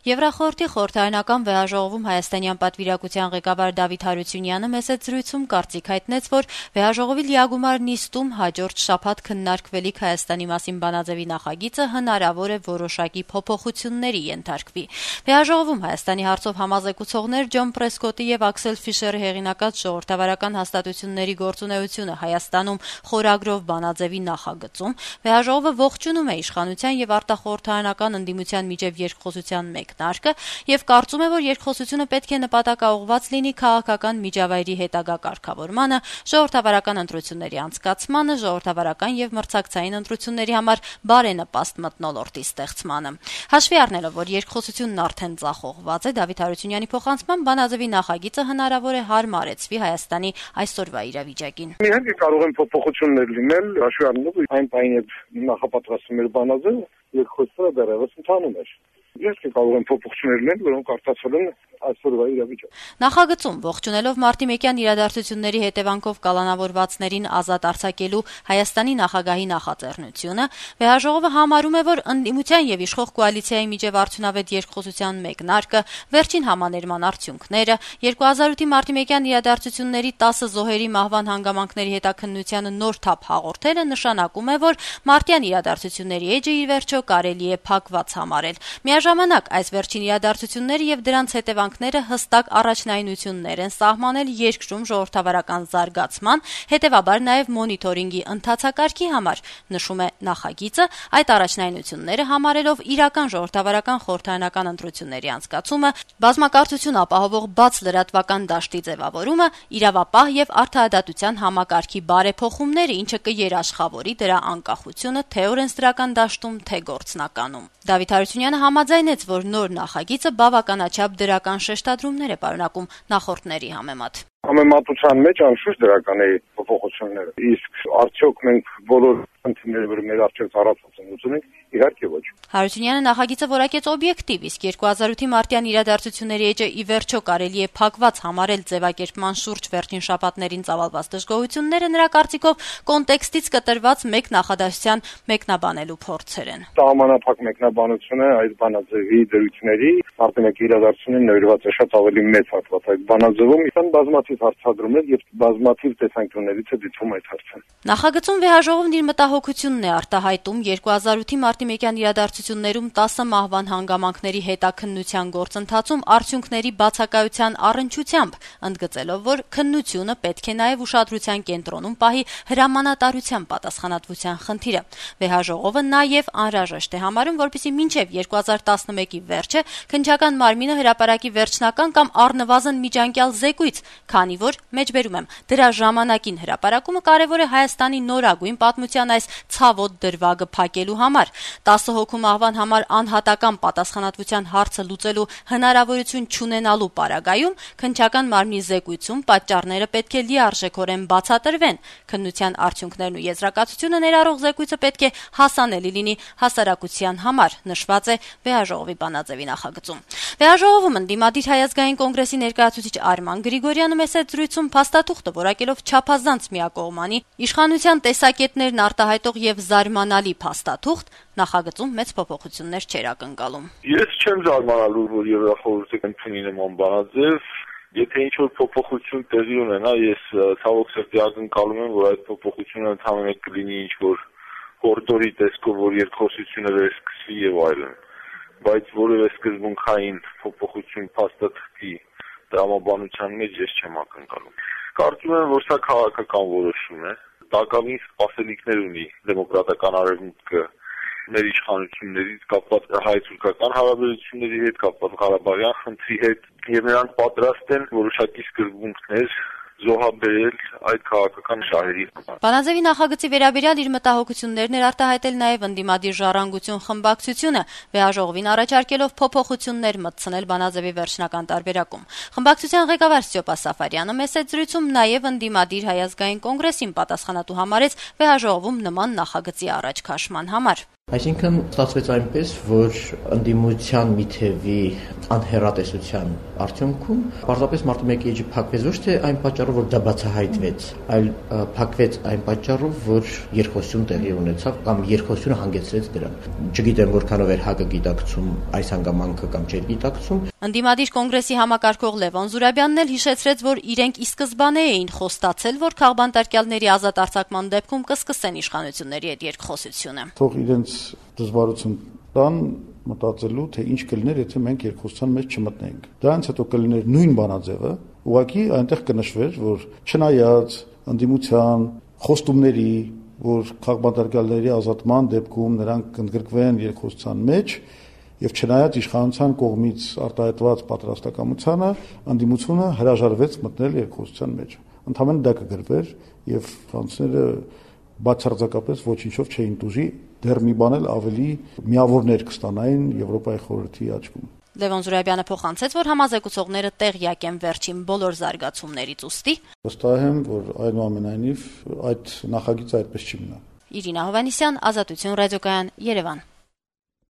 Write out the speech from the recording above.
Եվրախորհրդի խորհրդարանական վեհաժողովում հայաստանյան պատվիրակության ղեկավար Դավիթ Հարությունյանը մեծ զրույցում կարծիք հայտնեց, որ վեհաժողովի լիագումար նիստում հաջորդ շաբաթ քննարկվելիք Հայաստանի մասին բանաձեւի նախագիծը հնարավոր է որոշակի փոփոխությունների ենթարկվի։ Վեհաժողովում Հայաստանի հարցով համազեկուցողներ Ջոն Պրեսկոտի եւ Աքսել Ֆիշերի հեղինակած ժողովրդավարական հաստատությունների գործունեությունը Հայաստանում խորագրով բանաձեւի նախագծում վեհաժողովը ողջունում է իշխանության եւ արտախորհրդարանական ընդդիմության միջև երկխոսության մեկնարկը եւ կարծում է, որ երկխոսությունը պետք է նպատակաուղղված լինի քաղաքական միջավայրի հետագա կարգավորմանը, ժողովրդավարական ընտրությունների անցկացմանը, ժողովրդավարական եւ մրցակցային ընտրությունների համար բարենպաստ մթնոլորտի ստեղծմանը։ Հաշվի առնելով, որ երկխոսությունն արդեն ձախողված է, Դավիթ Հարությունյանի փոխանցմամբ բանաձեւի նախագիծը հնարավոր է հարմարեցվի Հայաստանի այսօրվա իրավիճակին։ Իհարկե կարող են փոփոխություններ լինել, հաշվի առնելով այն պահին, երբ նախապատրաստվում էր բանաձևը, երկխոսությունը դեռևս ընթանում էր։ Իհարկե կարող են փոփոխություններ լինել, որոնք արտացվել են այսօրվա իրավիճակում։ Նախագծում ողջունելով մարտի 1-յան իրադարձությունների հետևանքով կալանավորվածներին ազատ արձակելու Հայաստանի նախագահի նախաձեռնությունը, վեհաժողովը համարում է, որ ընդդիմության եւ իշխող կոալիցիայի միջև արդյունավետ երկխոսության մեկնարկը, վերջին համաներման արդյունքները, 2008-ի մարտի 1-յան իրադարձությունների 10 զոհերի մահվան հանգամանքների հետաքննությանը նոր թափ հաղորդելը նշանակում է, որ մարտյան իրադարձությունների էջը ի վերջո կարելի է փակված համարել։ Միաժամանակ այս վերջին իրադարձությունները եւ դրանց հետևանքները հստակ առաջնայնություններ են սահմանել երկրում ժողովրդավարական զարգացման, հետեւաբար նաեւ մոնիթորինգի ընթացակարգի համար, նշում է նախագիծը, այդ առաջնայնությունները համարելով իրական ժողովրդավարական խորհրդարանական ընտրությունների անցկացումը, բազմակարծություն ապահովող բաց լրատվական դաշտի ձևավորումը, իրավապահ եւ արդարադատության համակարգի բարեփոխումները, ինչը կերաշխավորի դրա անկախությունը թե օրենսդրական դաշտում, թե գործնականում։ Դավիթ Հարությունյանը համաձայնեց, որ նոր նախագիծը բավականաչափ դրական շեշտադրումներ է պարունակում նախորդների համեմատ։ Համեմատության մեջ անշուշտ դրական է փոփոխությունները։ Իսկ արդյոք մենք բոլոր խնդիրները, որ մեր առջև ծառացած ենք, իհարկե ոչ։ Հարությունյանը նախագիծը որակեց օբյեկտիվ, իսկ 2008-ի մարտյան իրադարձությունների էջը ի վերջո կարելի է փակված համարել ձևակերպման շուրջ վերջին շաբաթներին ծավալված դժգոհությունները նրա կարծիքով կոնտեքստից կտրված մեկ նախադասության մեկնաբանելու փորձեր են։ Սահմանափակ մեկնաբանությունը այս բանաձևի դրույթների արտենակ իրադարձություններին նվիրված է շատ ավելի մեծ հատված այդ բանաձևում, իսկ բազմաթիվ հարցադրումներ եւ բազմաթիվ տեսանկյուններից է դիտվում այդ հարցը։ Նախագծում վեհաժողովն իր մտահոգությունն է արտահայտում 2008-ի մարտի 1-յան իրադարձություններում 10 մահվան հանգամանքների հետաքննության գործընթացում արդյունքների բացակայության առնչությամբ, ընդգծելով, որ քննությունը պետք է նաև ուշադրության կենտրոնում պահի հրամանատարության պատասխանատվության խնդիրը։ Վեհաժողովը նաև անհրաժեշտ է համարում, որպեսզի մինչև 2011-ի վերջը քննչական մարմինը հրապարակի վերջնական կամ առնվազն միջանկյալ զեկույց, քանի որ, մեջբերում եմ, դրա ժամանակին հրապարակումը կարևոր է Հայաստանի նորագույն պատմության այս ցավոտ դրվագը փակելու համար։ 10 հոգու մահվան համար անհատական պատասխանատվության հարցը լուծելու հնարավորություն չունենալու պարագայում քննչական մարմնի զեկույցում պատճառները պետք է լիարժեքորեն բացատրվեն։ Քննության արդյունքներն ու եզրակացությունը ներառող զեկույցը պետք է հասանելի լինի հասարակության համար, նշված է վեհաժողովի բանաձևի նախագծում։ Վեհաժողովում ընդդիմադիր Հայ ազգային կոնգրեսի ներկայացուցիչ Արման Գրիգորյանը մեծ զրույցում փաստաթուղթը որակելով չափազանց միակողմանի իշխանության տեսակետներն արտահայտող եւ զարմանալի փաստաթուղթ, նախագծում մեծ փոփոխություններ չեր ակնկալում։ Ես չեմ զարմանալու, որ Եվրախորհուրդը ընդունի նման բանաձև, եթե ինչ-որ փոփոխություն տեղի ունենա, ես ցավոք սրտի ակնկալում եմ, որ այդ փոփոխությունը ընդհանրապես կլինի ինչ-որ կորիդորի տեսքով, որ երկխոսությունը վերսկսվի եւ այլն, բայց որևէ սկզբունքային փոփոխություն փաստաթղթի դրամաբանության մեջ ես չեմ ակնկալում։ Կարծում եմ, որ սա քաղաքական որոշում է, տակավին սպասելիքներ ունի դեմոկրատական արևմուտքը մեր իշխանություններից կապված հայ-թուրքական հարաբերությունների հետ, կապված Ղարաբաղյան խնդրի հետ, եւ նրանք պատրաստ են որոշակի սկզբունքներ զոհաբերել այդ քաղաքական շահերի համար։ Բանաձևի նախագծի վերաբերյալ իր մտահոգություններն էր արտահայտել նաև ընդդիմադիր ժառանգություն խմբակցությունը, վեհաժողովին առաջարկելով փոփոխություններ մտցնել բանաձևի վերջնական տարբերակում։ Խմբակցության ղեկավար Ստյոպա Սաֆարյանը մեծ զրույցում նաև ընդդիմադիր Հայ ազգային կոնգրեսին պատասխանատու համարեց վեհաժողովում նման նախագծի առաջ քաշման համար։ Այսինքն ստացվեց այնպես, որ ընդդիմության մի թևի անհեռատեսության արդյունքում պարզապես մարտի 1-ի էջը փակվեց ոչ թե այն պատճառով, որ դա բացահայտվեց, այլ փակվեց այն պատճառով, որ երկխոսություն տեղի ունեցավ կամ երկխոսությունը հանգեցրեց դրան։ Չգիտեմ որքանով էր ՀԱԿ-ը գիտակցում այս հանգամանքը կամ չէր գիտակցում։ Ընդդիմադիր կոնգրեսի համակարգող Լևոն Զուրաբյանն էլ հիշեցրեց, որ իրենք ի սկզբանե էին խոստացել, որ քաղբանտարկյալների ազատ արձակման դեպքում կսկսեն իշխանությունների հետ երկխոսությունը։ Թող իրենց դժվարություն տան մտածելու, թե ինչ կլիներ, եթե մենք երկխոսության մեջ չմտնենք։ Դրանից հետո կլիներ նույն բանաձևը, ուղղակի այնտեղ կնշվեր, որ չնայած ընդդիմության խոստումների, որ քաղբանտարկյալների ազատման դեպքում նրանք կընդգրկվեն երկխոսության մեջ, եւ չնայած իշխանության կողմից արտահայտված պատրաստակամությանը, ընդդիմությունը հրաժարվեց մտնել երկխոսության մեջ։ Ընդհանրապես դա կգրվեր եւ ֆրանսիները բացարձակապես ոչինչով չէին դուժի, դեռ մի բան էլ ավելի միավորներ կստանային Եվրոպայի խորհրդի աչքում։ Լևոն Զուրաբյանը փոխանցեց, որ համազեկուցողները տեղյակ են վերջին բոլոր զարգացումներից ուստի վստահ եմ, որ այնուամենայնիվ այդ նախագիծը այդպես չի մնա։ Իրինա Հովհաննիսյան, Ազատություն ռադիոկայան, Երևան։